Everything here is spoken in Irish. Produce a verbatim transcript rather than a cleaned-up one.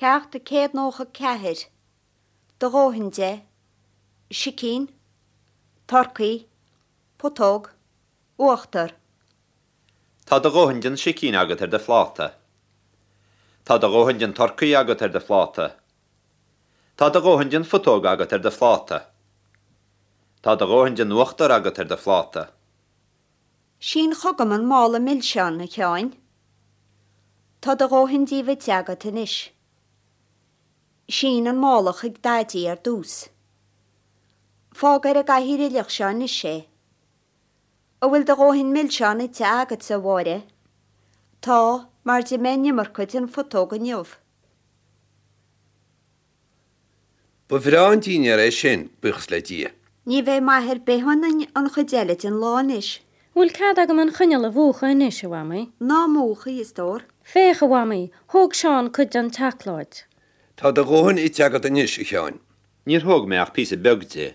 Ceacht a céad nócha ceathair. Do dhóthain de. Sicín. Turcaí. Putóg. Uachtar. Tá do dhóthain den sicín agat ar do phláta. Tá do dhóthain den turcaí agat ar do phláta. Tá do dhóthain den phutóg agat ar do phláta. Tá do dhóthain den uachtar agat ar do phláta. Sín chugam an mála milseán a Sheáin. Tá do dhóthain díobh ite agat anois. Sín an mála chuig Daidí ar dtús. Fág ar an gcathaoir aoileach seo anois é. An bhfuil do dhóthain milseán ite agatsa, a Mháire? Tá, mar d'ith mé an iomarca den phutóg inniu. Ba bhreá an dinnéar é sin, buíochas le Dia. Ní bheidh maith ar bith ionainn an chuid eile den lá anois. Bhfuil cead agam an choinneal a mhúchadh anois, a Mhamaí? Ná múch í, a stór. Féach, a Mhamaí, thóg Seán cuid den tseacláid. Tá do dhóthain ite agat anois, a Sheáin. Níor thóg mé ach píosa beag de.